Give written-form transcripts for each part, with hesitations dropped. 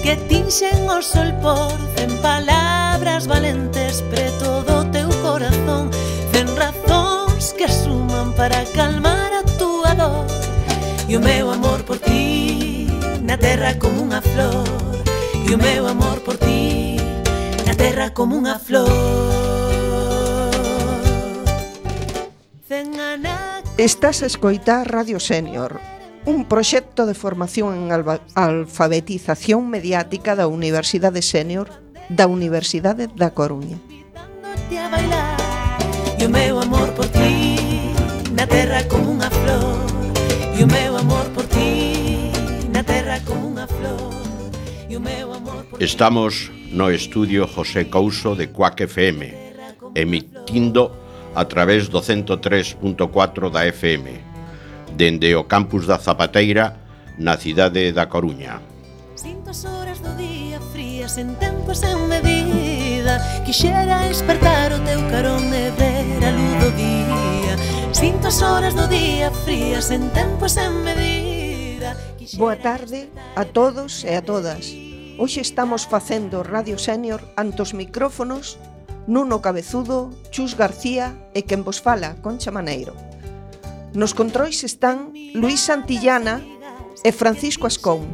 que tinxen o sol por 100 palabras valentes preto do teu corazón, 100 razóns que suman para calmar a túa dor. E o meu amor por ti na terra como unha flor, e o meu amor por ti na terra como unha flor. Estás a escoitar Radio Sénior, un proxecto de formación en alfabetización mediática da Universidade Sénior da Universidade da Coruña. E o meu amor por ti na terra como unha flor, e o meu amor por ti na terra como unha flor, e o meu amor por ti. Estamos no estudio José Couso de Cuac FM, emitindo a través do 103.4 da FM, dende o campus da Zapateira, na cidade da Coruña. Sinto as horas do día frías en tempo sen medida, quixera despertar o teu carón e ver a luz do día. Sinto as horas do día frías en tempo sen medida. Boa tarde a todos e a todas. Hoxe estamos facendo Radio Sénior ante os micrófonos Nuno Cabezudo, Chus García e quen vos fala, Concha Maneiro. Nos controis están Luís Santillana e Francisco Ascón.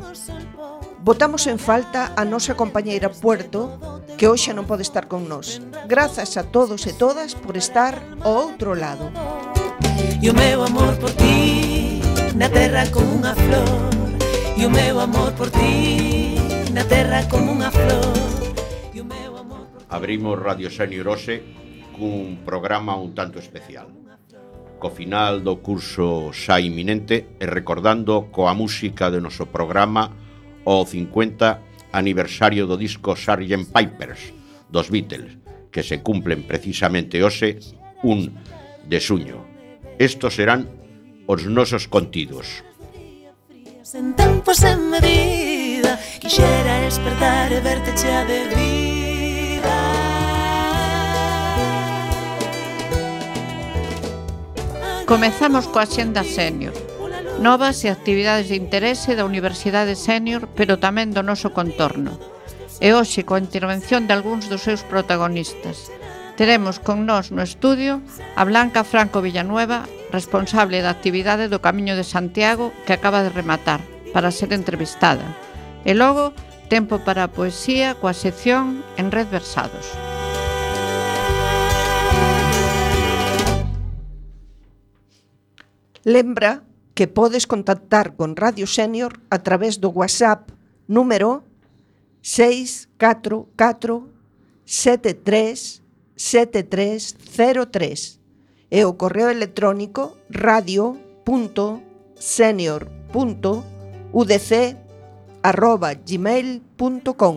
Botamos en falta a nosa compañeira Puerto, que hoxe non pode estar con nós. Grazas a todos e todas por estar ao outro lado. E o meu amor por ti na terra como unha flor, e o meu amor por ti na terra como unha flor. Abrimos Radio Sénior hoxe cun programa un tanto especial. Co final do curso xa inminente e recordando coa música de noso programa o 50 aniversario do disco Sgt. Pepper's dos Beatles, que se cumplen precisamente hoxe 1 de xuño. Estos serán os nosos contidos. En tempo sen medida, quixera despertar e verte chea de vida. Comezamos coa Axenda Sénior, novas e actividades de interese da Universidade Sénior, pero tamén do noso contorno. E hoxe, coa intervención de algúns dos seus protagonistas, teremos con nós no estudio a Blanca Franco Villanueva, responsable da actividade do Camiño de Santiago, que acaba de rematar, para ser entrevistada. E logo, tempo para a poesía coa sección En Red Versados. Lembra que podes contactar con Radio Sénior a través do WhatsApp número 644 73 7303 e o correo electrónico radio.senior.udc@gmail.com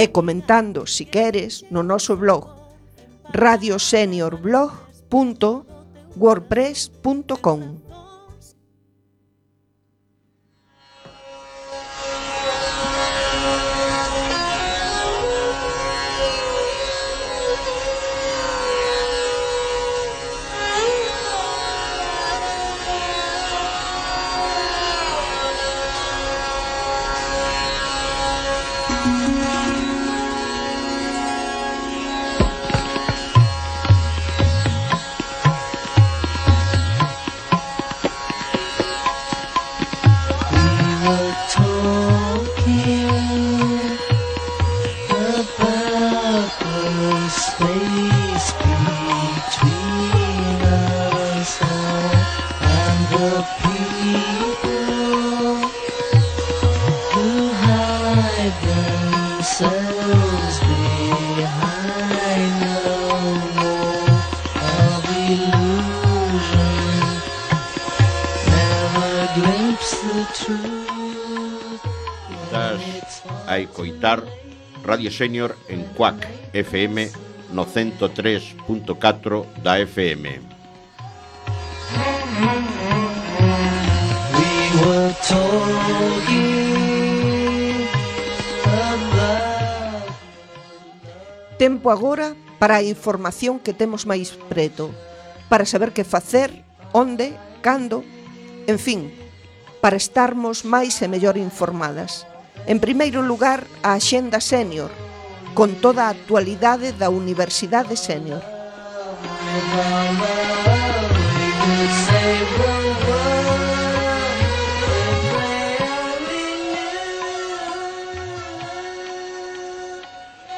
e comentando, si queres, no noso blog radioseniorblog.wordpress.com. A escoitar Radio Sénior en Cuac FM no 103.4 da FM. Tempo agora para a información que temos máis preto, para saber que facer, onde, cando, en fin, para estarmos máis e mellor informadas. En primeiro lugar, a Axenda Sénior, con toda a actualidade da Universidade Sénior.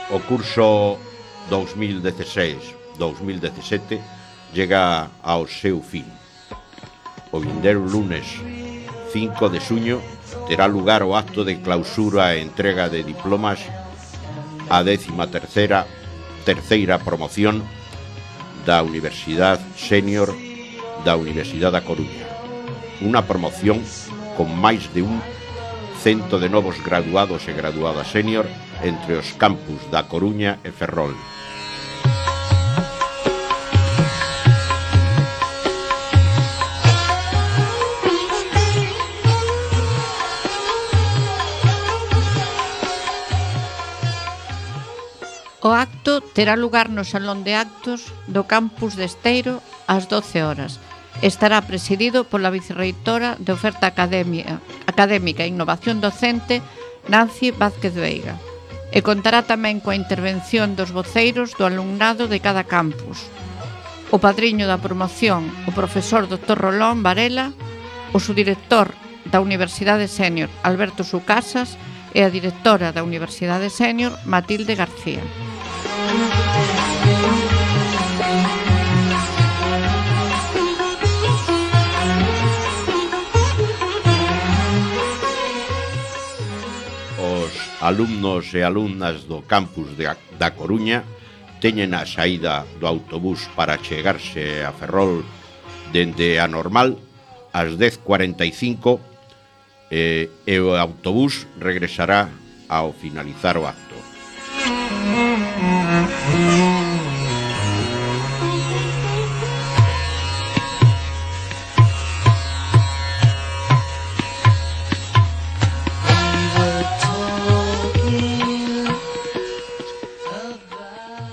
O curso 2016-2017 llega ao seu fin. O vindeiro lunes 5 de xuño terá lugar o acto de clausura e entrega de diplomas a 13ª promoción da Universidade Sénior da Universidade da Coruña. Unha promoción con máis de 100 de novos graduados e graduadas sénior entre os campus da Coruña e Ferrol. O acto terá lugar no Salón de Actos do campus de Esteiro ás 12 horas. Estará presidido pola vicerreitora de Oferta Académica e Innovación Docente, Nancy Vázquez Veiga, e contará tamén coa intervención dos voceiros do alumnado de cada campus. O padriño da promoción, o profesor Dr. Rolón Varela, o subdirector da Universidade Sénior, Alberto Sucasas, e a directora da Universidade Sénior, Matilde García. Os alumnos e alumnas do campus da Coruña teñen a saída do autobús para chegarse a Ferrol dende a Normal ás 10:45 e o autobús regresará ao finalizar o acto.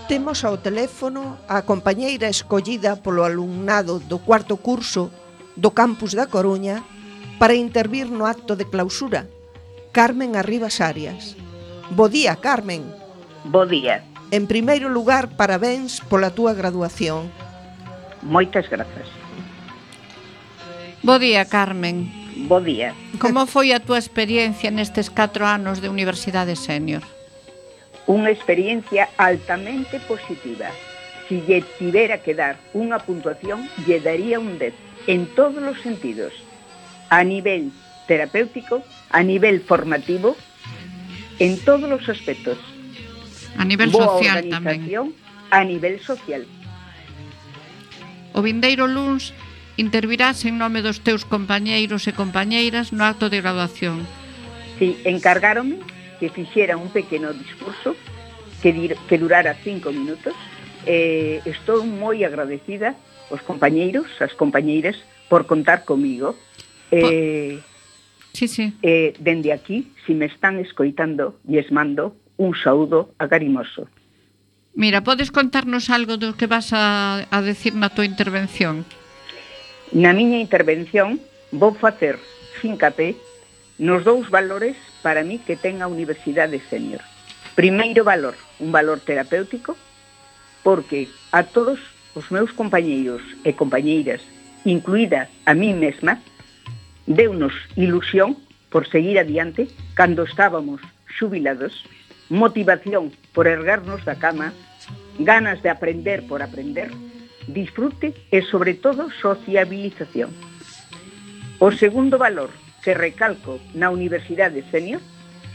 Temos ao teléfono a compañeira escollida polo alumnado do cuarto curso do campus da Coruña para intervir no acto de clausura, Carmen Arribas Arias. Bo día, Carmen. Bo día. En primeiro lugar, parabéns pola túa graduación. Moitas grazas. Bo día, Carmen. Bo día. Como foi a túa experiencia nestes 4 anos de Universidade Sénior? Unha experiencia altamente positiva. Si lle tivera que dar unha puntuación, lle daría un 10 en todos os sentidos. A nivel terapéutico, a nivel formativo, en todos os aspectos. A nivel Boa social organización, tamén. a nivel social. O vindeiro luns intervirás en nome dos teus compañeiros e compañeiras no acto de graduación. Si, encargáronme que fixera un pequeno discurso que durara 5 minutos. Estou moi agradecida aos compañeiros, as compañeiras, por contar comigo. Sí. Dende aquí, si me están escoitando, lles mando un saúdo agarimoso. Mira, podes contarnos algo do que vas a decir na tua intervención? Na miña intervención vou facer fincapé nos 2 valores para mí que ten a Universidade Sénior. Primeiro valor, un valor terapéutico, porque a todos os meus compañeiros e compañeiras, incluída a mí mesma, deunos ilusión por seguir adiante cando estábamos xubilados, motivación por erguernos da cama, ganas de aprender por aprender, disfrute e, sobre todo, sociabilización. O segundo valor que recalco na Universidade Sénior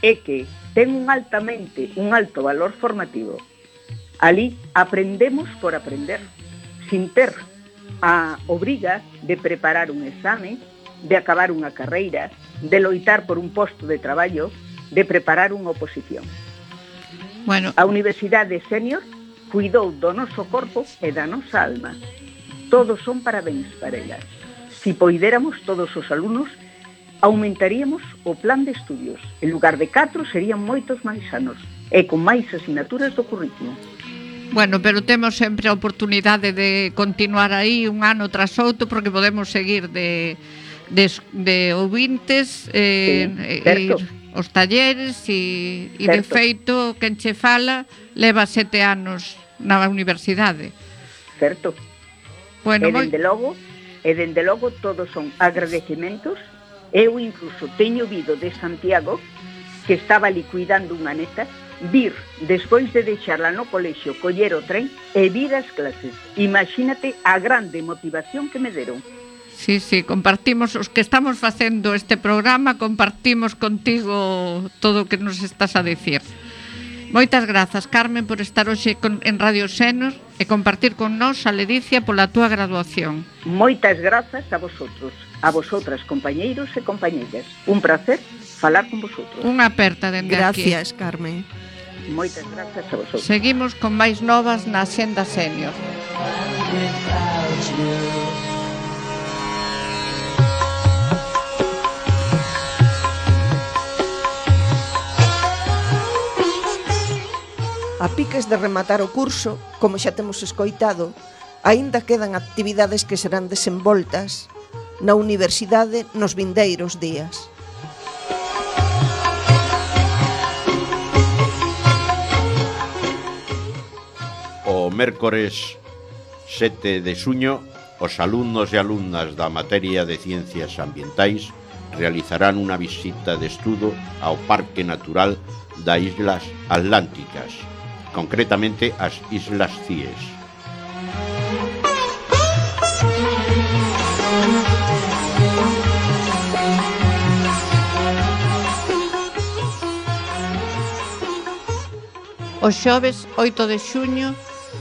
é que ten un alto valor formativo. Alí aprendemos por aprender, sin ter a obriga de preparar un exame, de acabar unha carreira, de loitar por un posto de traballo, de preparar unha oposición. Bueno, A Universidade Sénior cuidou do noso corpo e da nosa alma. Todos son parabéns para elas. Si poidéramos todos os alumnos, aumentaríamos o plan de estudios. En lugar de 4 serían moitos máis anos e con máis asignaturas do currículo. bueno, pero temos sempre a oportunidade de continuar aí un ano tras outro porque podemos seguir de ouvintes Sí, certo. os talleres e de feito, quen che fala leva 7 anos na universidade. Certo. Bueno, e dende logo todos son agradecimentos. Eu incluso teño vido de Santiago, que estaba liquidando unha neta, vir, despois de deixarla no colexio, coller o tren e vir as clases. Imagínate a grande motivación que me deron. Sí, compartimos, os que estamos facendo este programa, compartimos contigo todo o que nos estás a dicir. Moitas grazas, Carmen, por estar hoxe en Radio Senior e compartir con nós a ledicia pola túa graduación. Moitas grazas a vosotros, a vosotras, compañeiros e compañeiras. Un placer falar con vosotros. Unha aperta dende aquí. Gracias, Carmen. Moitas grazas a vosotros. Seguimos con máis novas na Axenda Senior. A piques de rematar o curso, como xa temos escoitado, aínda quedan actividades que serán desenvoltas na universidade nos vindeiros días. O mércores 7 de xuño, os alumnos e alumnas da materia de Ciencias Ambientais realizarán unha visita de estudo ao Parque Natural das Islas Atlánticas, concretamente as Islas Cíes. O xoves 8 de xuño,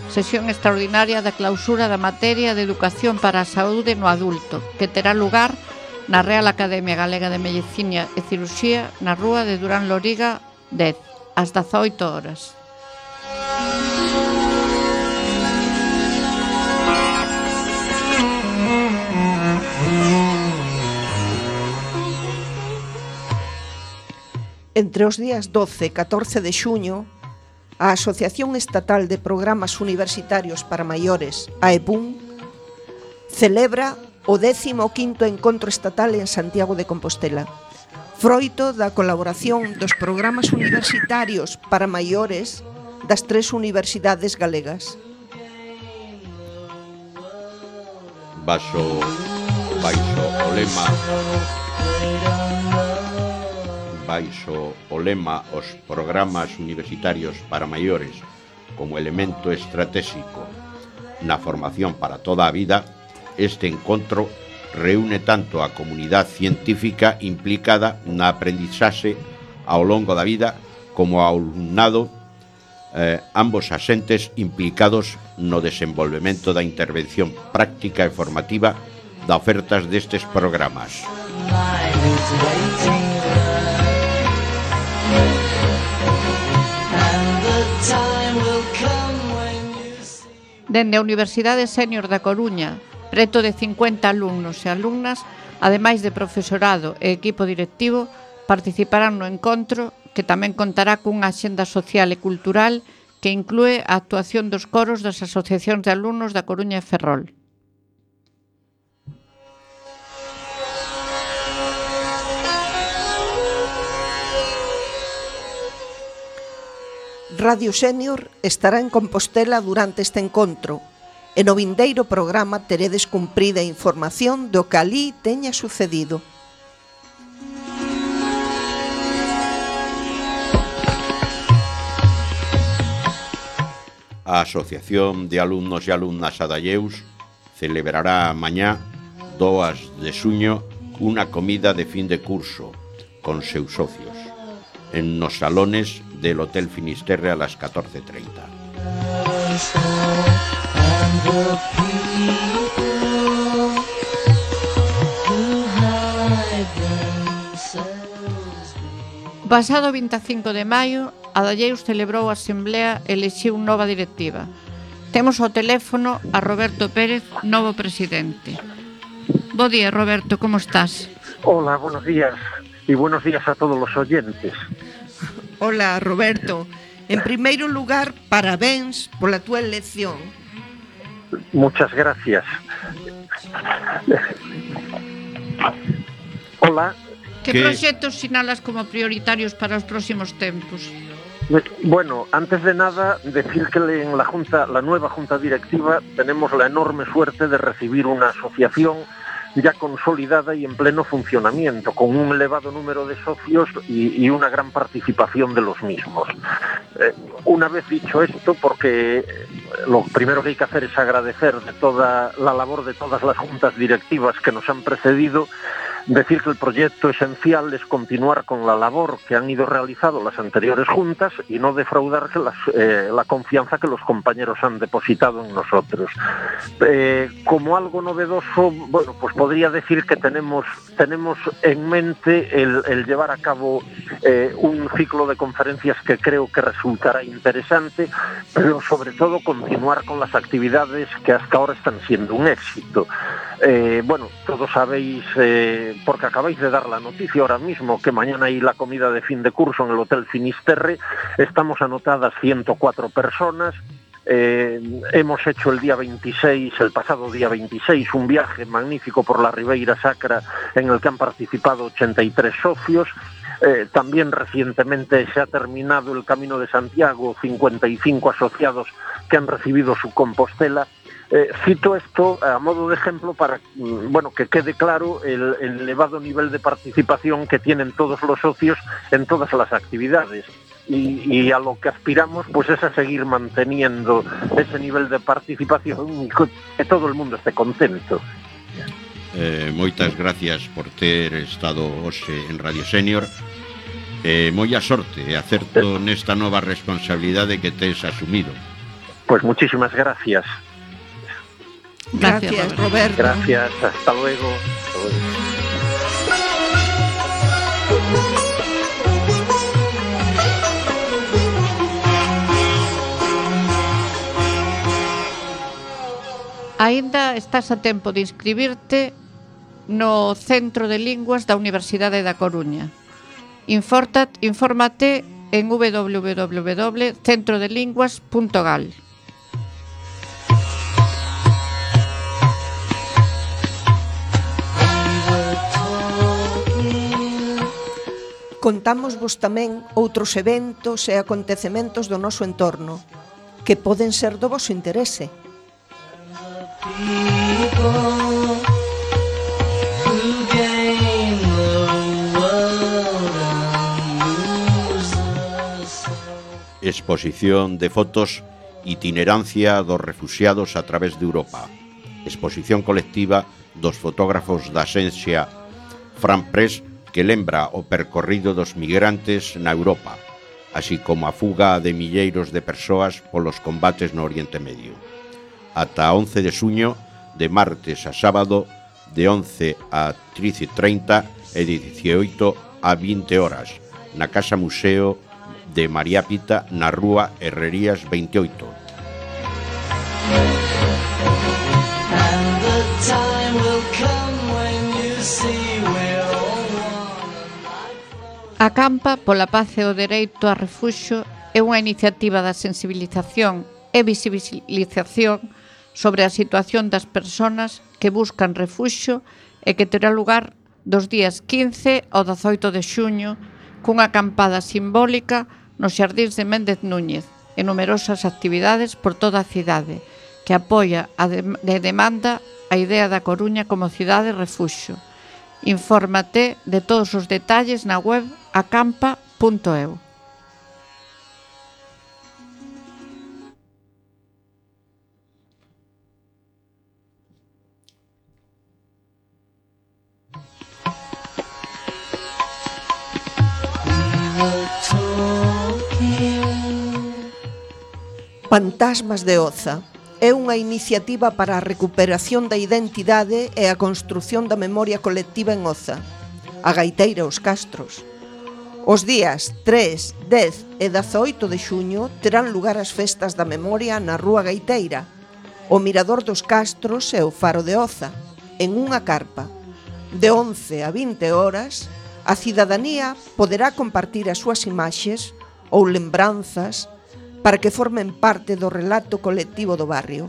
sesión extraordinaria da clausura da materia de Educación para a Saúde no Adulto, que terá lugar na Real Academia Galega de Medicina e Cirurxía na rúa de Durán Loriga 10, ás 18 horas. Entre os días 12 e 14 de xuño, a Asociación Estatal de Programas Universitarios para Maiores, AEPUM, celebra o 15º Encontro Estatal en Santiago de Compostela, froito da colaboración dos programas universitarios para maiores das 3 universidades galegas. Baixo o lema os programas universitarios para maiores como elemento estratégico na formación para toda a vida, este encontro reúne tanto a comunidade científica implicada na aprendizaxe ao longo da vida como ao alumnado, ambos asentes implicados no desenvolvemento da intervención práctica e formativa da ofertas destes programas. Dende a Universidade Senior da Coruña, preto de 50 alumnos e alumnas, ademais de profesorado e equipo directivo, participarán no encontro, que tamén contará cunha axenda social e cultural que inclúe a actuación dos coros das asociacións de alumnos da Coruña e Ferrol. Radio Senior estará en Compostela durante este encontro e no vindeiro programa teredes cumprida información do que alí teña sucedido. A Asociación de Alumnos e Alumnas Adalleus celebrará mañá 2 de xuño unha comida de fin de curso con seus socios en nos salones del Hotel Finisterre a las 14:30. Pasado 25 de maio, Adalleus celebrou a asemblea e elixiu nova directiva. Temos ao teléfono a Roberto Pérez, novo presidente. Bo día, Roberto, como estás? Hola, buenos días. Y buenos días a todos los oyentes. Hola, Roberto. En primeiro lugar, parabéns pola túa elección. Muchas gracias. Hola, Que proxectos sinalas como prioritarios para os próximos tempos? Bueno, antes de nada, decir que en la nueva Junta Directiva tenemos la enorme suerte de recibir una asociación ya consolidada y en pleno funcionamiento, con un elevado número de socios y una gran participación de los mismos. Una vez dicho esto, porque lo primero que hay que hacer es agradecer de toda la labor de todas las juntas directivas que nos han precedido, decir que el proyecto esencial es continuar con la labor que han ido realizando las anteriores juntas y no defraudarse la confianza que los compañeros han depositado en nosotros. Como algo novedoso, bueno, pues podría decir que tenemos en mente el llevar a cabo un ciclo de conferencias que creo que resultará interesante, pero sobre todo continuar con las actividades que hasta ahora están siendo un éxito. Bueno, todos sabéis, porque acabáis de dar la noticia ahora mismo, que mañana hay la comida de fin de curso en el Hotel Finisterre. Estamos anotadas 104 personas. Hemos hecho el pasado día 26, un viaje magnífico por la Ribeira Sacra en el que han participado 83 socios. También recientemente se ha terminado el Camino de Santiago, 55 asociados que han recibido su Compostela. Cito esto a modo de ejemplo para que quede claro el elevado nivel de participación que tienen todos los socios en todas las actividades. Y a lo que aspiramos pues es a seguir manteniendo ese nivel de participación y que todo el mundo esté contento. Moitas gracias por ter estado hoxe en Radio Senior. Moita sorte e acerto nesta nova responsabilidade que tes asumido. Pues muchísimas gracias. Gracias, Roberto. Gracias, hasta luego. Aínda estás a tempo de inscribirte no Centro de Linguas da Universidade da Coruña. Infórmate en www.centrodelinguas.gal. Contámosvos tamén outros eventos e acontecementos do noso entorno que poden ser do voso interese. Exposición de fotos Itinerancia dos refuxiados a través de Europa. Exposición colectiva dos fotógrafos da axencia Fran Press que lembra o percorrido dos migrantes na Europa, así como a fuga de milleiros de persoas polos combates no Oriente Medio. Ata 11 de xuño, de martes a sábado, de 11 a 13:30 e de 18 a 20 horas, na Casa Museo de María Pita, na Rúa Herrerías 28. A Campa pola Paz e o Dereito a Refuxio é unha iniciativa da sensibilización e visibilización sobre a situación das persoas que buscan refuxio e que terá lugar dos días 15 ao 18 de xuño cunha acampada simbólica nos xardíns de Méndez Núñez e numerosas actividades por toda a cidade que apoia e demanda a idea da Coruña como cidade refuxio. Infórmate de todos os detalles na web acampa.eu. Fantasmas de Oza é unha iniciativa para a recuperación da identidade e a construción da memoria colectiva en Oza, a gaiteira Os Castros. Os días 3, 10 e 18 de xuño terán lugar as festas da memoria na Rúa Gaiteira, o Mirador dos Castros e o Faro de Oza, en unha carpa. De 11 a 20 horas, a cidadanía poderá compartir as súas imaxes ou lembranzas para que formen parte do relato colectivo do barrio.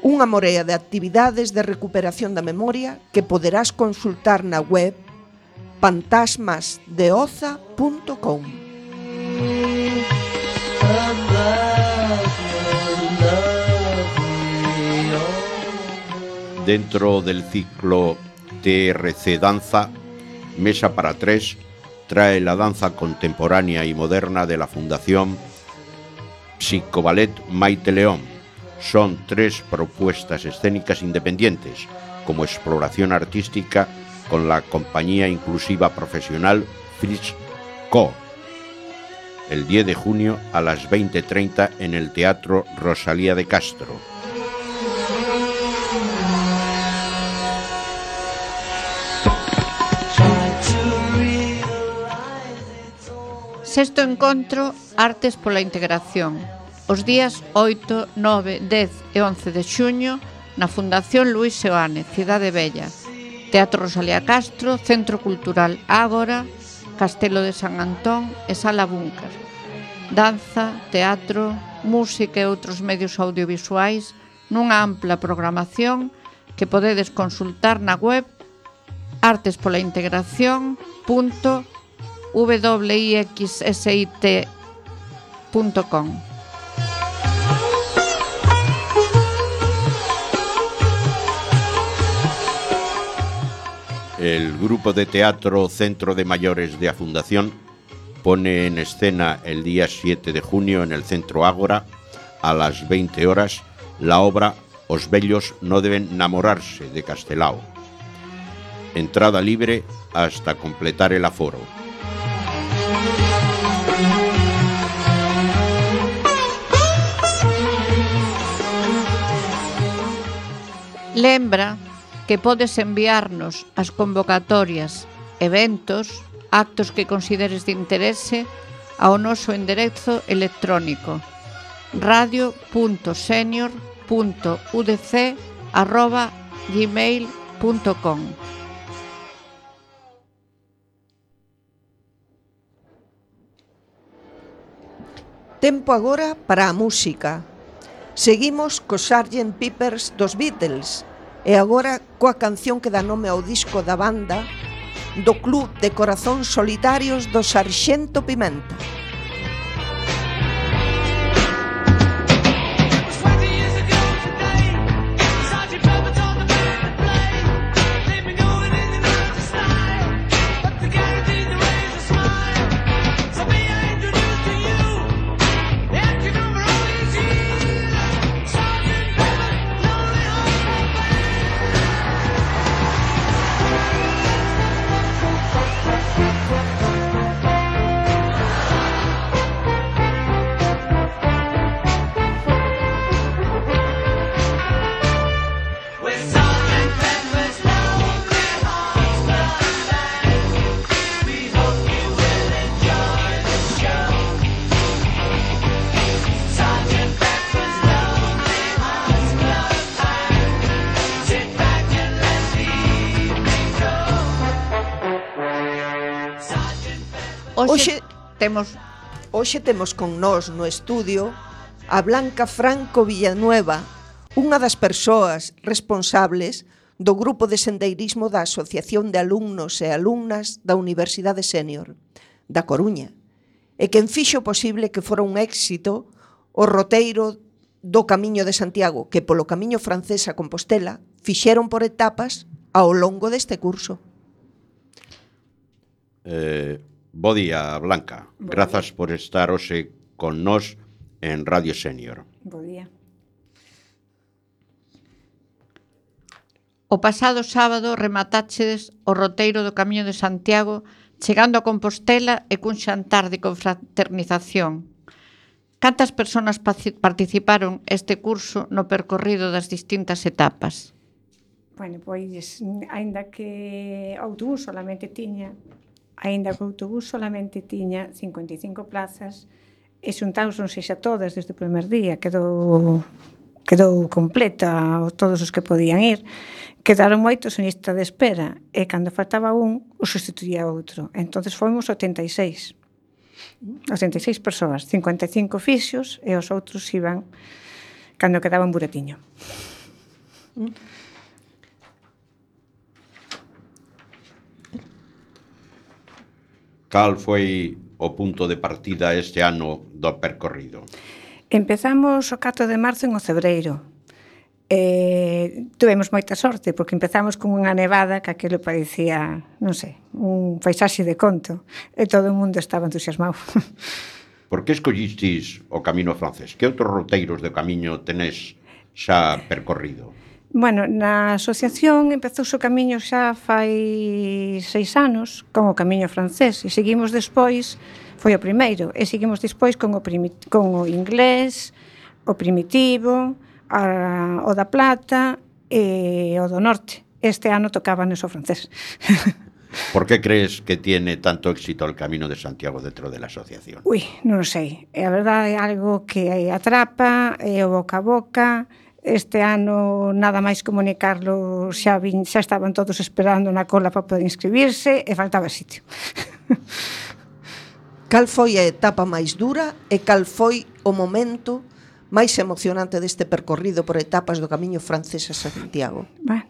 Unha morea de actividades de recuperación da memoria que poderás consultar na web fantasmasdeoza.com. Dentro del ciclo TRC Danza, Mesa para Tres trae la danza contemporánea y moderna de la Fundación Psicoballet Maite León. Son 3 propuestas escénicas independientes, como exploración artística con la compañía inclusiva profesional Fritz Co. El 10 de junio a las 20:30 en el Teatro Rosalía de Castro. Sexto encontro Artes pola Integración. Os días 8, 9, 10 e 11 de xuño na Fundación Luis Seoane, Cidade Bella. Teatro Rosalía Castro, Centro Cultural Ágora, Castelo de San Antón e Sala Búnker. Danza, teatro, música e outros medios audiovisuais nunha ampla programación que podedes consultar na web artespolaintegracion.wixsit.com. El grupo de teatro Centro de Mayores de la Fundación pone en escena el día 7 de junio en el Centro Ágora a las 20 horas la obra Os vellos no deben namorarse de Castelao. Entrada libre hasta completar el aforo. Lembra que podes enviarnos as convocatorias, eventos, actos que consideres de interese ao noso enderezo electrónico radio.senior.udc@gmail.com. Tempo agora para a música. Seguimos cos Sgt. Pepper's dos Beatles e agora coa canción que dá nome ao disco da banda do Club de Corazóns Solitarios do Sarxento Pimenta. Hoxe temos con nós no estudio a Blanca Franco Villanueva, unha das persoas responsables do grupo de sendeirismo da Asociación de Alumnos e Alumnas da Universidade Sénior da Coruña, e quen fixo posible que fora un éxito o roteiro do Camiño de Santiago, que polo Camiño francés a Compostela fixeron por etapas ao longo deste curso. Bo día, Blanca. Grazas por estar hoxe con nós en Radio Sénior. Bo día. O pasado sábado rematachedes o roteiro do Camiño de Santiago chegando a Compostela e cun xantar de confraternización. Cantas persoas participaron este curso no percorrido das distintas etapas? Bueno, pois, aínda que o autobús solamente tiña 55 plazas e xuntáronse xa todas desde o primer día, quedou completa todos os que podían ir. Quedaron moitos en lista de espera e cando faltaba un, o sustituía outro. Entonces fomos 86 persoas, 55 fixos e os outros iban cando quedaba un buretiño. Cal foi o punto de partida este ano do percorrido? Empezamos o 4 de marzo en Ocebreiro. Tuvemos moita sorte, porque empezamos con unha nevada que aquilo parecía, non sei, un paisaxe de conto, e todo o mundo estaba entusiasmado. Por que escollistis o camiño francés? Que outros roteiros de camiño tenés xa percorrido? Bueno, na asociación empezou o camiño xa fai 6 anos con o camiño francés e seguimos despois, foi o primeiro, e seguimos despois con o inglés, o primitivo, o da Plata e o do Norte. Este ano tocaba o francés. Por que crees que tiene tanto éxito el Camino de Santiago dentro de la asociación? Ui, non sei. A verdade é algo que atrapa, é o boca a boca. Este ano, nada máis comunicarlo, xa estaban todos esperando na cola para poder inscribirse e faltaba sitio. Cal foi a etapa máis dura e cal foi o momento máis emocionante deste percorrido por etapas do camiño francés a Santiago? Bueno,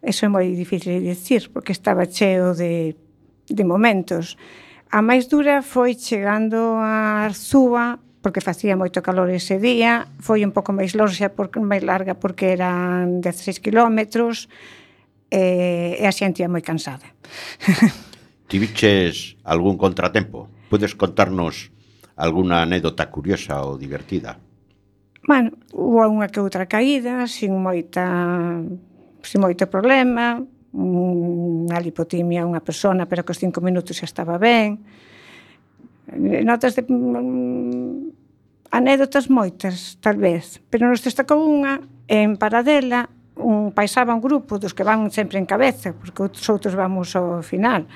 eso é moi difícil de dicir, porque estaba cheo de momentos. A máis dura foi chegando a Arzúa, porque facía moito calor ese día, foi un pouco máis larga porque eran 16 kilómetros, e a xente ia moi cansada. Tiviches algún contratempo? Podes contarnos alguna anécdota curiosa ou divertida? Bueno, houve unha que outra caída, sin moito problema, unha lipotimia unha persona, pero que aos 5 minutos xa estaba ben. Notas de anécdotas moitas, tal vez, pero nos destacou unha en Paradela, paisaba un grupo dos que van sempre en cabeza, porque os outros vamos ao final.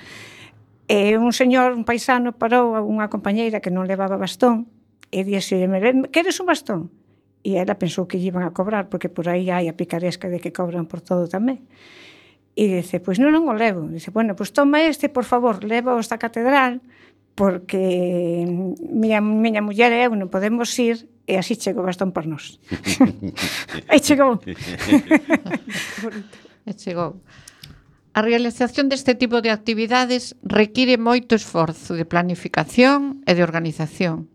E un señor, un paisano, parou a unha compañeira que non levaba bastón e dixo: "Queres un bastón?" E ela pensou que lle iban a cobrar, porque por aí hai a picaresca de que cobran por todo tamén. E dice: "Pois non o levo." Dice: "Bueno, pois toma este, por favor, leva esta catedral, porque miña muller e eu non podemos ir, e así chego o bastón por nós." Aí chegou. E chegou. A realización deste tipo de actividades require moito esforzo de planificación e de organización.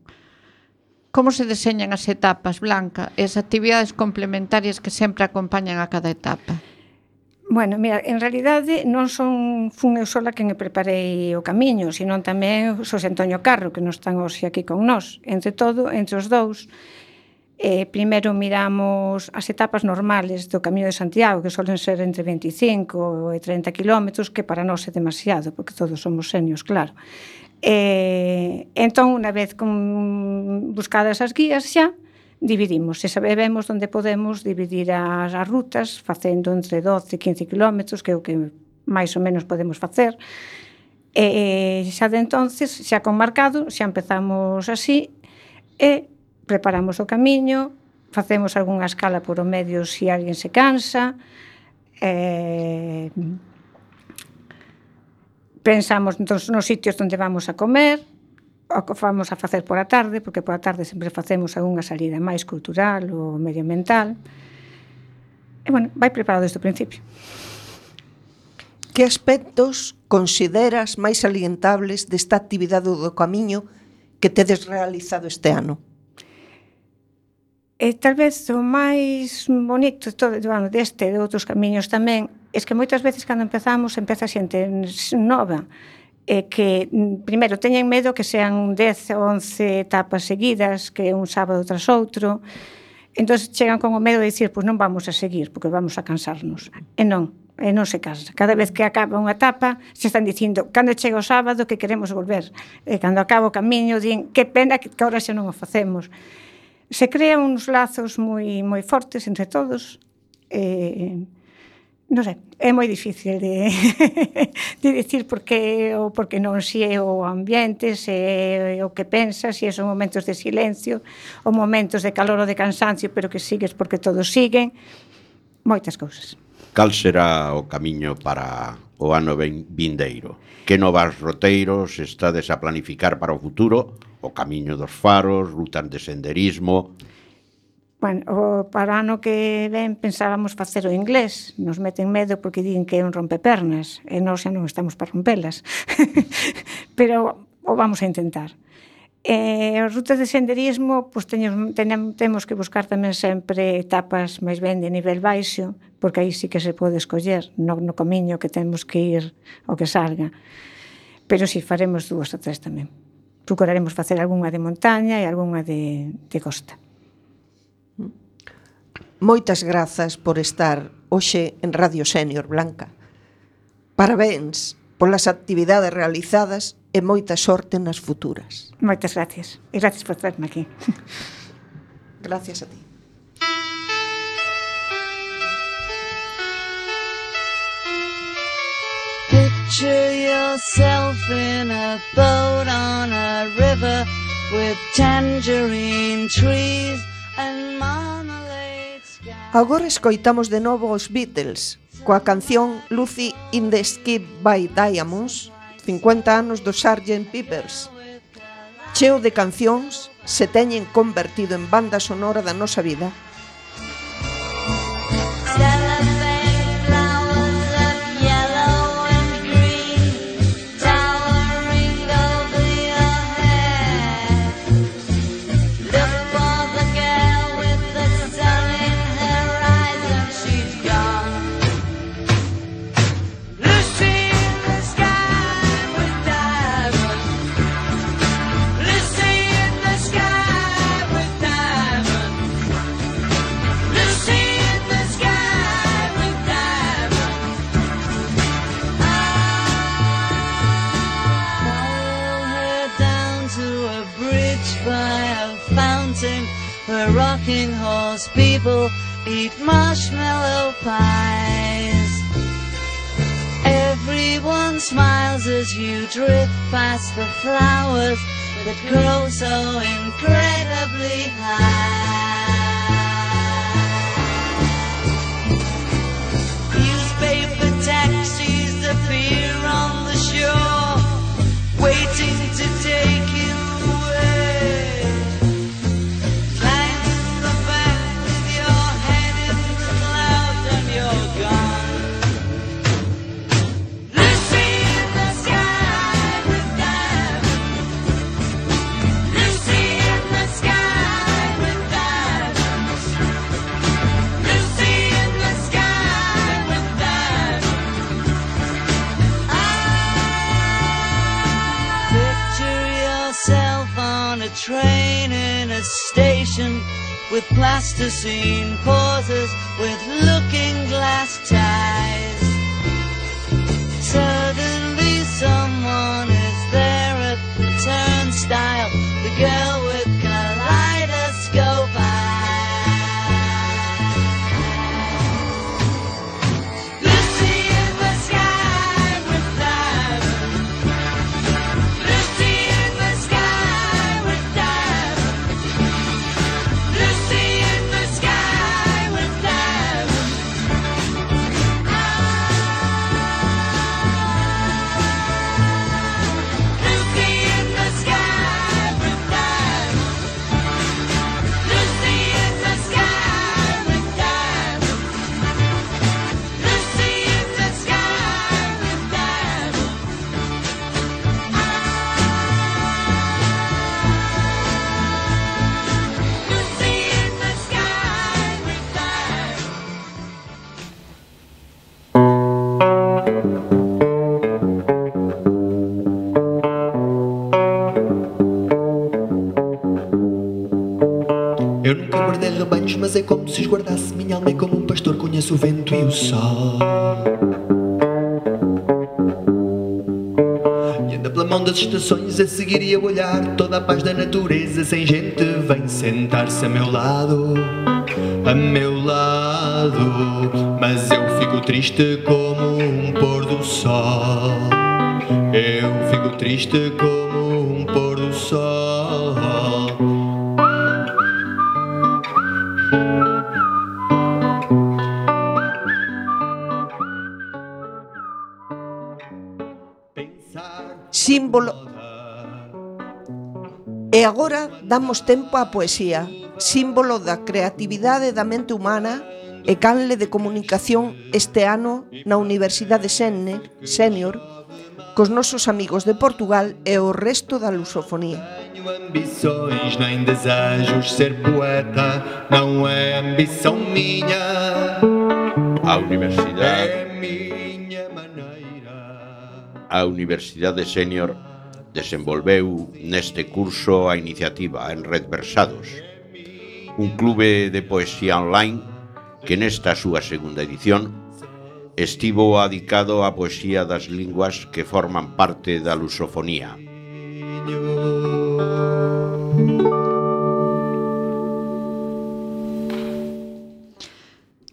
Como se deseñan as etapas, Blanca, e as actividades complementarias que sempre acompañan a cada etapa? Bueno, mira, en realidade non fun eu sola quen preparei o camiño, senón tamén Xosé Antonio Carro, que non están hoxe aquí con nós. Entre os dous, primeiro miramos as etapas normales do Camiño de Santiago, que solen ser entre 25 e 30 kilómetros, que para nós é demasiado, porque todos somos senios, claro. Entón, unha vez buscadas as guías xa, dividimos, e sabemos onde podemos dividir as rutas, facendo entre 12 e 15 kilómetros, que é o que máis ou menos podemos facer. Xa de entonces, xa con marcado, xa empezamos así, e preparamos o camiño, facemos algunha escala por o medio se alguén se cansa, pensamos nos sitios onde vamos a comer, o que vamos a facer por a tarde, porque por a tarde sempre facemos algunha salida máis cultural ou medioambiental. E, bueno, vai preparado desde o principio. Que aspectos consideras máis salientables desta actividade do camiño que tedes realizado este ano? Tal vez o máis bonito deste e de outros camiños tamén é que moitas veces cando empeza xente nova, que primeiro teñen medo que sean 10 ou 11 etapas seguidas, que un sábado tras outro, entón chegan con o medo de dicir: "Pois non vamos a seguir, porque vamos a cansarnos." E non se cansa. Cada vez que acaba unha etapa, se están dicindo: "Cando chega o sábado que queremos volver." E cando acaba o camiño, din: "Que pena que agora xa non o facemos." Se crean uns lazos moi fortes entre todos, non sei, é moi difícil de dicir porque non, se é o ambiente, se é o que pensas, se son momentos de silencio, ou momentos de calor ou de cansancio, pero que sigues porque todos siguen, moitas cousas. Cal será o camiño para o ano vindeiro? Que novas roteiros estades a planificar para o futuro? O camiño dos faros, rutas de senderismo? Bueno, para o ano que ven pensábamos facer o inglés. Nos meten medo porque din que é un rompepernas, e nós xa non estamos para rompelas. Pero o vamos a intentar. As rutas de senderismo, pois temos que buscar tamén sempre etapas máis ben de nivel baixo, porque aí sí que se pode escoller no camiño que temos que ir ao que salga. Pero si faremos 2 ou 3 tamén. Procuraremos facer algunha de montaña e algunha de costa. Moitas grazas por estar hoxe en Radio Sénior, Blanca. Parabéns polas actividades realizadas e moita sorte nas futuras. Moitas gracias. E gracias por traerme aquí. Gracias a ti. Picture yourself in a boat on a river with tangerine trees and marmalade skies. Agora escoitamos de novo os Beatles coa canción Lucy in the Sky by Diamonds, 50 anos do Sgt. Peppers. Cheo de cancións se teñen convertido en banda sonora da nosa vida. Where rocking horse people eat marshmallow pies. Everyone smiles as you drift past the flowers that grow so incredibly high. Newspaper taxis appear on the shore, waiting to take you away. Train in a station with plasticine pauses with looking glass ties. Suddenly someone is there at the turnstile, the girl with kaleidoscope mas é como se esguardasse minha alma, é como um pastor conhece o vento e o sol. E anda pela mão das estações a seguir e a olhar toda a paz da natureza. Sem gente vem sentar-se a meu lado, mas eu fico triste como um pôr do sol. Eu fico triste como um pôr do sol. Símbolo. E agora damos tempo á poesía, símbolo da creatividade da mente humana e canle de comunicación este ano na Universidade Sénior, cos nosos amigos de Portugal e o resto da lusofonía. Tenho ambições nem desejos, ser poeta não é ambição minha. A Universidade É minha maneira. A Universidade Sénior desenvolveu neste curso a iniciativa Enredversados, un clube de poesía online que nesta súa segunda edición estivo adicado á poesía das linguas que forman parte da lusofonía.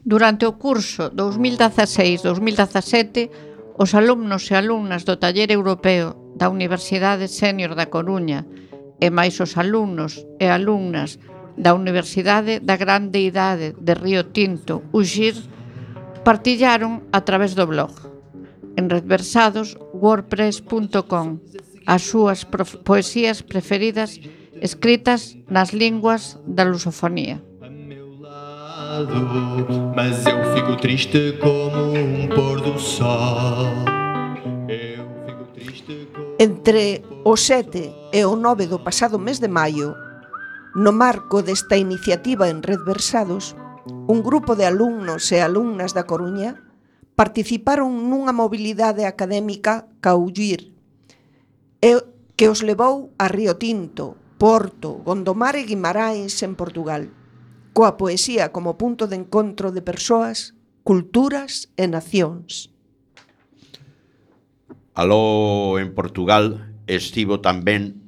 Durante o curso 2016-2017, os alumnos e alumnas do Taller Europeo da Universidade Sénior da Coruña e máis os alumnos e alumnas da Universidade da Grande Idade de Río Tinto, UXIR, partillaron a través do blog enredversados.wordpress.com as súas poesías preferidas escritas nas linguas da lusofonía. Mas eu fico triste como pôr do sol. Entre o 7 e o 9 do pasado mes de maio, no marco desta iniciativa Enredversados, un grupo de alumnos e alumnas da Coruña participaron nunha mobilidade académica ca UXIR que os levou a Río Tinto, Porto, Gondomar e Guimarães en Portugal, coa poesía como punto de encontro de persoas, culturas e nacións. Aló en Portugal estivo tamén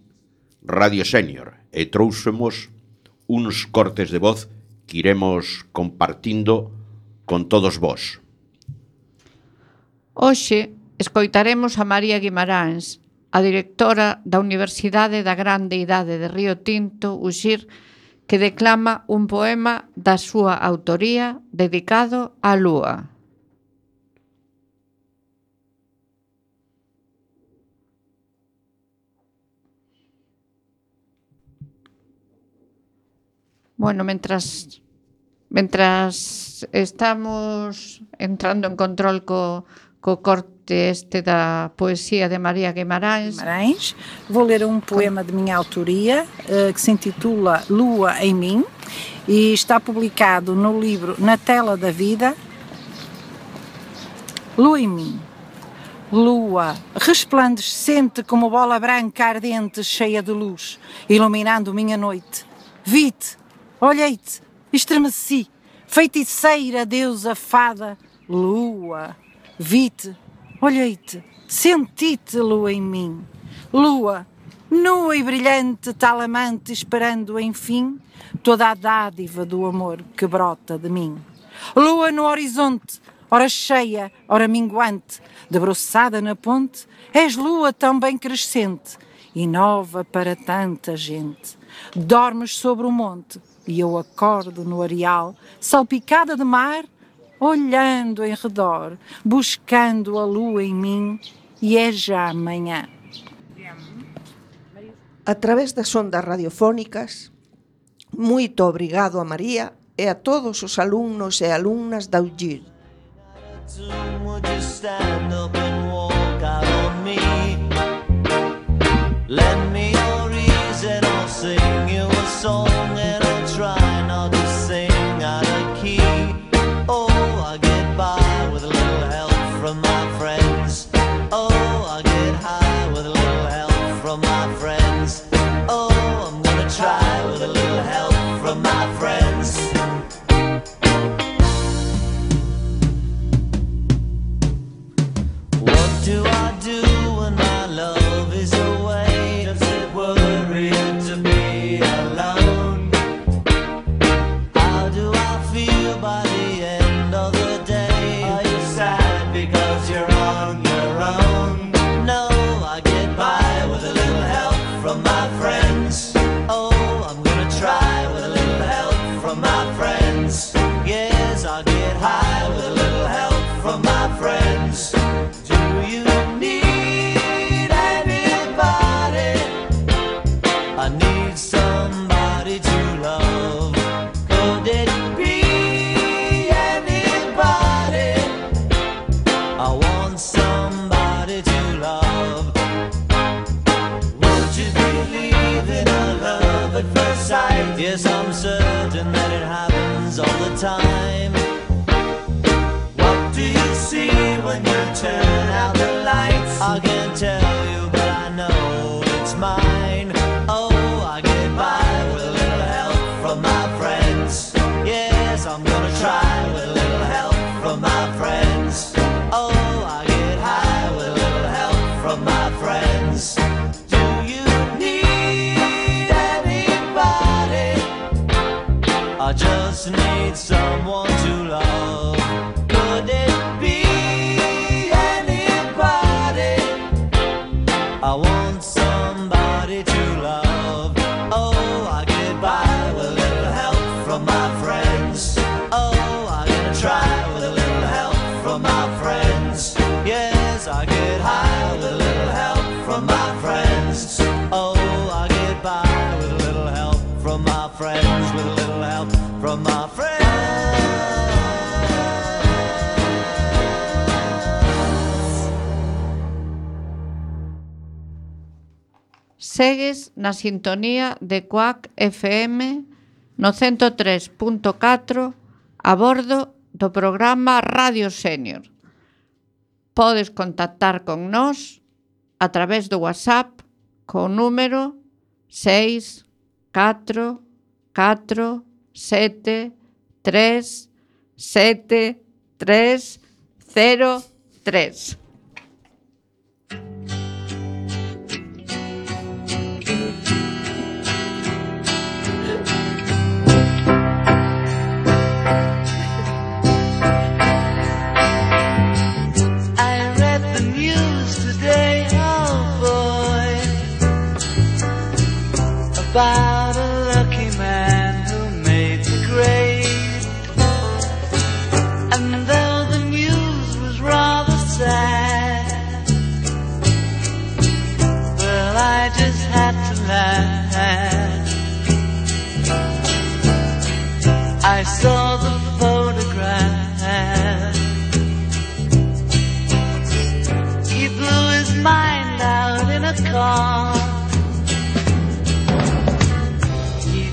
Radio Sénior e trouxemos uns cortes de voz que iremos compartindo con todos vós. Hoxe escoitaremos a María Guimarães, a directora da Universidade da Grande Idade de Río Tinto, UXIR, que declama un poema da súa autoría dedicado á lúa. Bueno, mientras estamos entrando en control co corte este da poesía de María Guimarães. Vou ler um poema de minha autoria que se intitula Lua em Mim e está publicado no livro Na Tela da Vida. Lua em mim. Lua, resplandecente como bola branca ardente cheia de luz, iluminando minha noite. Vi-te, olhei-te, estremeci, feiticeira, deusa, fada, lua. Vi-te, olhei-te, senti-te, lua em mim. Lua, nua e brilhante, tal amante, esperando, enfim, toda a dádiva do amor que brota de mim. Lua no horizonte, ora cheia, ora minguante, debruçada na ponte, és lua tão bem crescente e nova para tanta gente. Dormes sobre o monte e eu acordo no areal, salpicada de mar, olhando em redor, buscando a lua em mim, e é já amanhã. A través das ondas radiofónicas, moito obrigado a María e a todos os alumnos e alumnas da UXIR. happens all the time. What do you see when you turn out the lights? I can't tell you, but I know it's mine. Oh, I get by with a little help from my friends. Yes, I'm gonna try with a little help from my friends. Oh, I get high with a little help from my friends. Do you need anybody? I just need someone to love. Could it be anybody? I want somebody to love. Oh, I get by with a little help from my friends. Oh, I'm gonna try with a little help from my friends. Yes, I get high with a little help from my friends. Oh, I get by with a little help from my friends. With a little help from my friends. Segues na sintonía de Cuac FM no 103.4 a bordo do programa Radio Senior. Podes contactar con nós a través do WhatsApp co número 644737303. About a lucky man who made the grade. And though the news was rather sad, well, I just had to laugh. I saw the photograph. He blew his mind out in a car.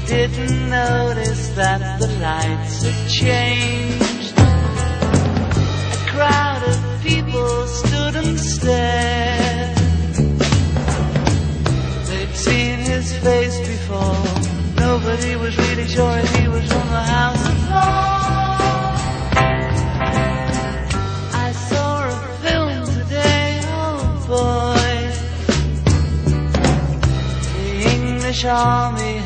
Didn't notice that the lights had changed. A crowd of people stood and stared. They'd seen his face before. Nobody was really sure if he was from the House of Lords. I saw a film today, oh boy. The English army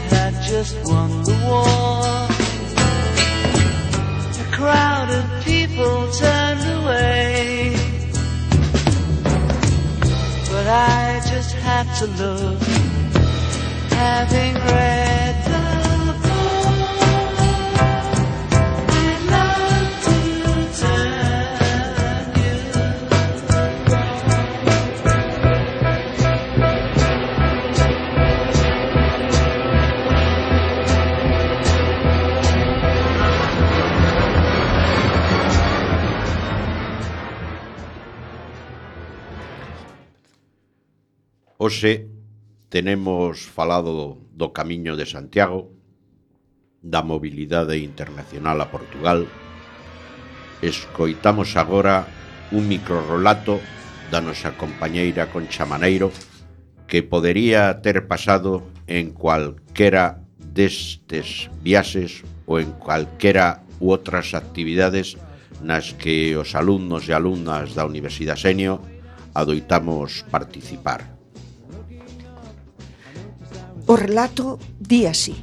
just won the war. A crowd of people turned away, but I just had to look, having read the book. I'd love to turn you Hoxe tenemos falado do Camiño de Santiago, da mobilidade internacional a Portugal. Escoitamos agora un microrrelato da nosa compañeira Concha Maneiro, que podería ter pasado en cualquera destes viaxes ou en cualquera u outras actividades nas que os alumnos e alumnas da Universidade Senior adoitamos participar. O relato di así.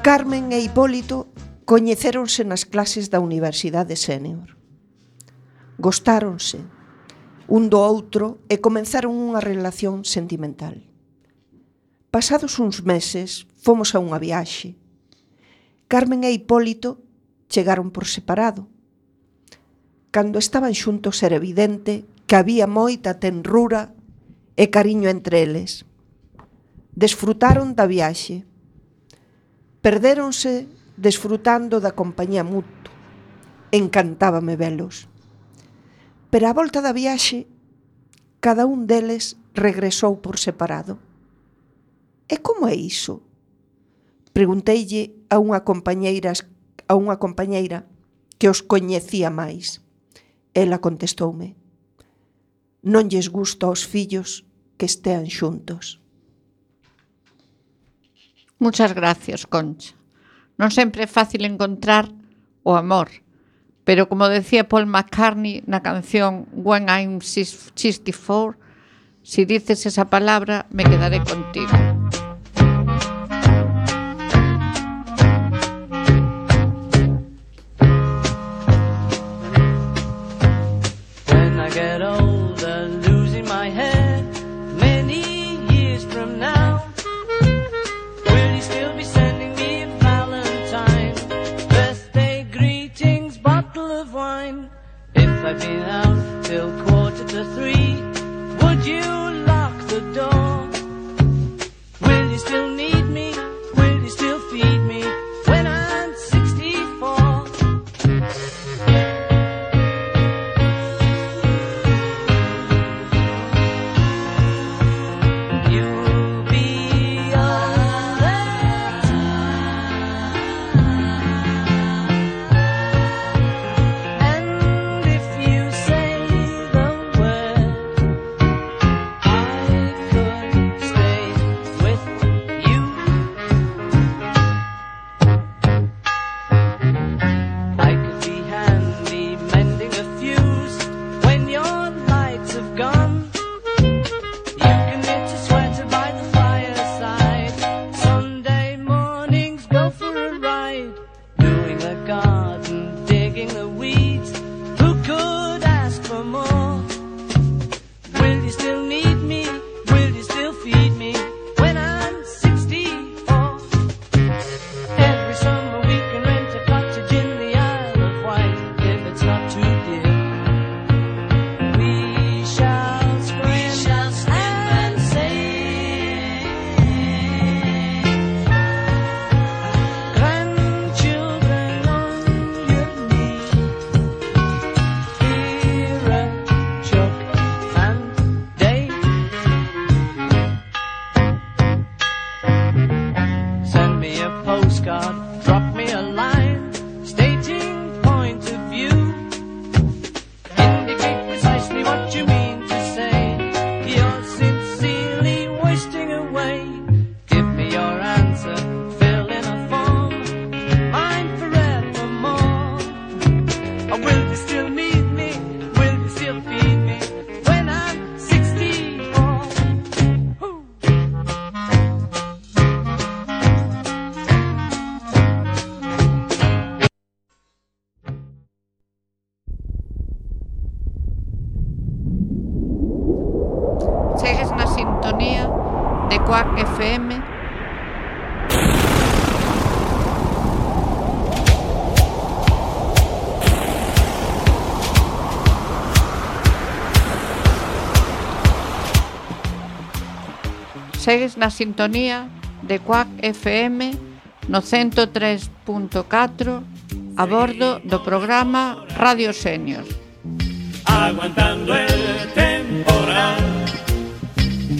Carmen e Hipólito coñecéronse nas clases da Universidade Senior. Gostáronse un do outro e comenzaron unha relación sentimental. Pasados uns meses, fomos a unha viaxe. Carmen e Hipólito chegaron por separado. Cando estaban xuntos era evidente que había moita tenrura e cariño entre eles. Desfrutaron da viaxe. Perdéronse desfrutando da compañía mutua. Encantábame velos. Pero á volta da viaxe, cada un deles regresou por separado. E como é iso? Pregunteille a unha compañeira que os coñecía máis. Ela contestoume: non lles gusta aos fillos que estean xuntos. Muchas gracias, Concha. Non sempre é fácil encontrar o amor, pero como decía Paul McCartney na canción When I'm 64, si dices esa palabra, me quedaré contigo. When I get older, losing my head, many years from now, will you still be sending me a Valentine, birthday greetings, bottle of wine? If I've been out till 2:45, would you lock the door? Will you still need me? Will you still feed me when I'm 64? You'll be all that time. And if you say the word, I could stay with you. I could be handy mending a fuse when your lights have gone. You can knit a sweater by the fireside. Sunday mornings go for a ride, doing the garden, digging the weeds. Who could ask for more? Will you still need me? Will you still feed me when I'm 64? Every summer we can rent a cottage in the Isle of Wight if it's not too dear. We shall scream and sing. Grandchildren on your knee, Vera, Chuck and Dave. Send me a postcard, drop me a line, stating point of view. Indicate precisely what you mean to say. You're sincerely wasting away. Give me your answer, fill in a form, mine forevermore. Or will you still need me? Will you still feed me when I'm 64? Ooh. Segues na sintonía de Cuac FM. Segues na sintonía de Cuac FM no 103.4 a bordo do programa Radio Senior. Aguantando el temporal,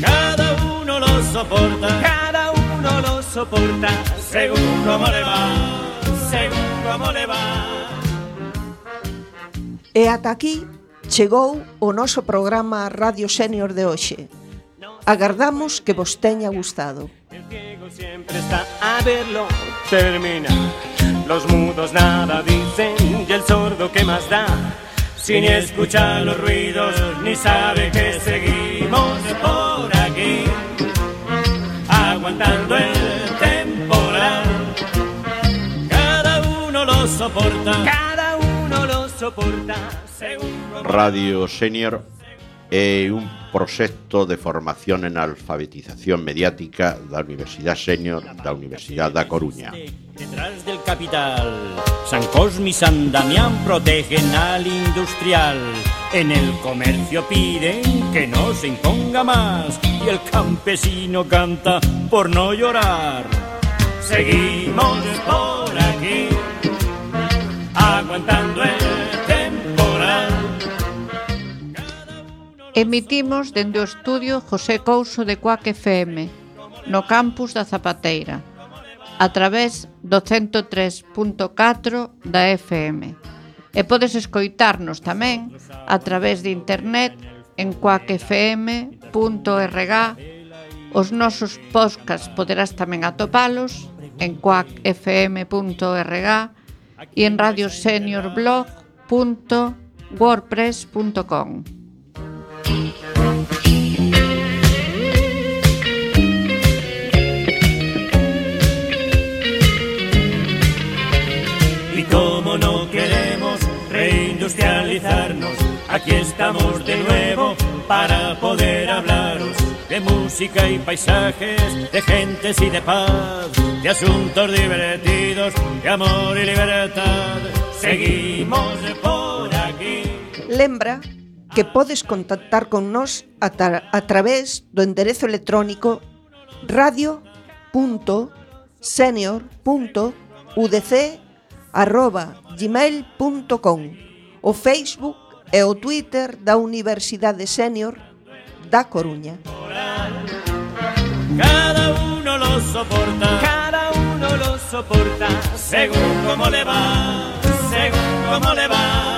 cada uno lo soporta, según cómo le va, según cómo le va. E ata aquí chegou o noso programa Radio Senior de hoxe. Agardamos que vos teña gustado. El ciego siempre está a verlo, termina. Los mudos nada dicen y el sordo ¿qué más da? Si ni escucha los ruidos ni sabe que seguimos por aquí, aguantando el temporal. Cada uno lo soporta, según Radio Senior é un proxecto de formación en alfabetización mediática da Universidade Senior da Universidade da Coruña. Detrás del capital, San Cosme y San Damián protegen al industrial. En el comercio piden que no se imponga más y el campesino canta por no llorar. Seguimos por aquí, aguantando el temporal. Emitimos dende o estudio José Couso de Cuac FM, no campus da Zapateira. a través do 103.4 da FM. E podes escoitarnos tamén a través de internet en quackfm.org. Os nosos podcasts poderás tamén atopalos en quackfm.org e en radioseniorblog.wordpress.com. Y como no queremos reindustrializarnos, aquí estamos de nuevo para poder hablaros de música y paisajes, de gentes y de paz, de asuntos divertidos, de amor y libertad. Seguimos por aquí. Lembra que podes contactar con nós a través do enderezo electrónico radio.senior.udc@gmail.com, o Facebook e o Twitter da Universidade Senior da Coruña. Cada uno lo soporta, según como le va, según como le va.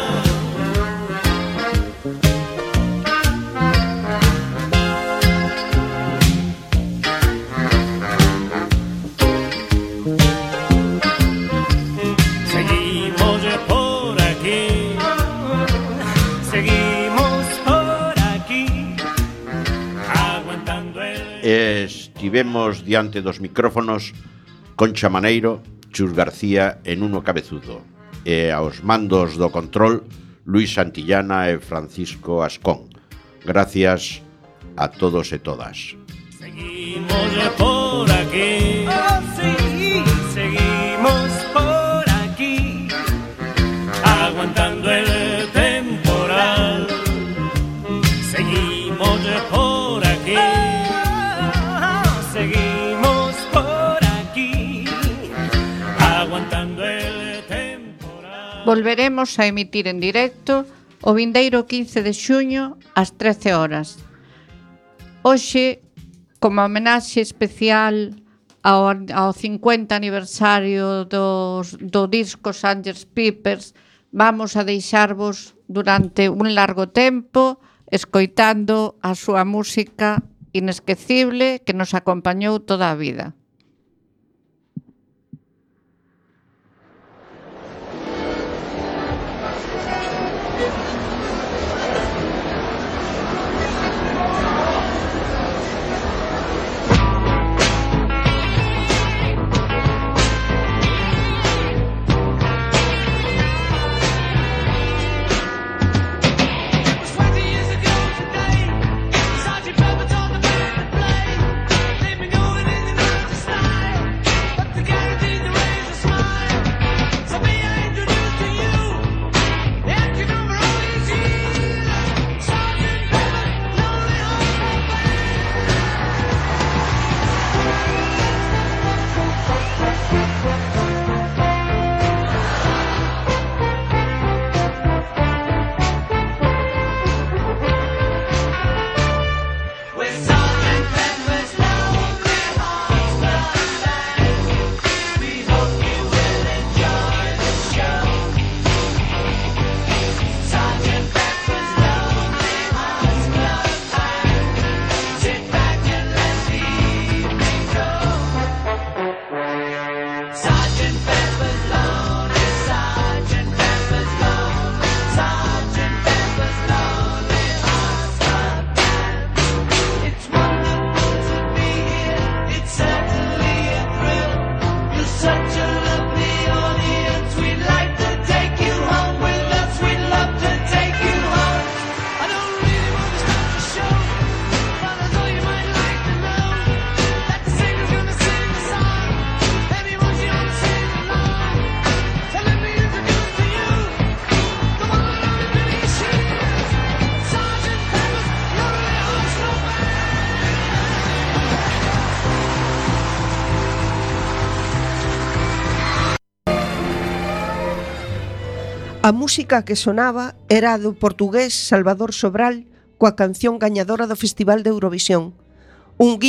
Estivemos diante dos micrófonos Concha Maneiro, Chus García e Nuno Cabezudo, e aos mandos do control Luis Santillana e Francisco Ascón. Gracias a todos e todas. Seguimos por aquí, oh, sí, seguimos por aquí, aguantando el temporal. Seguimos por aquí. Seguimos por aquí, aguantando el temporal. Volveremos a emitir en directo o vindeiro 15 de xuño ás 13 horas. Hoxe, como homenaxe especial ao 50 aniversario do disco Sgt. Pepper's, vamos a deixarvos durante un largo tempo escoitando a súa música inesquecible que nos acompañou toda a vida. A música que sonaba era a do portugués Salvador Sobral coa canción gañadora do Festival de Eurovisión. Un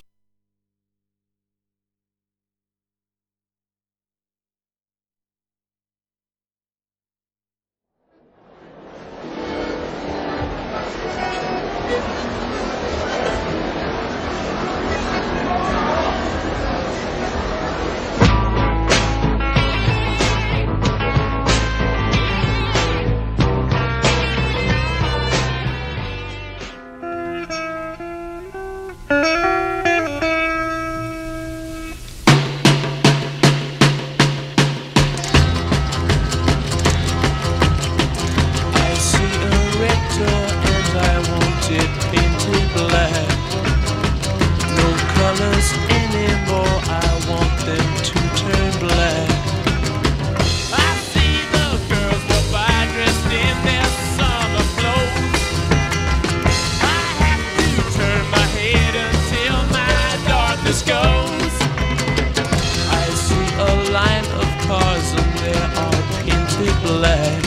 black.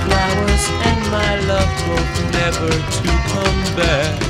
Flowers and my love both never to come back.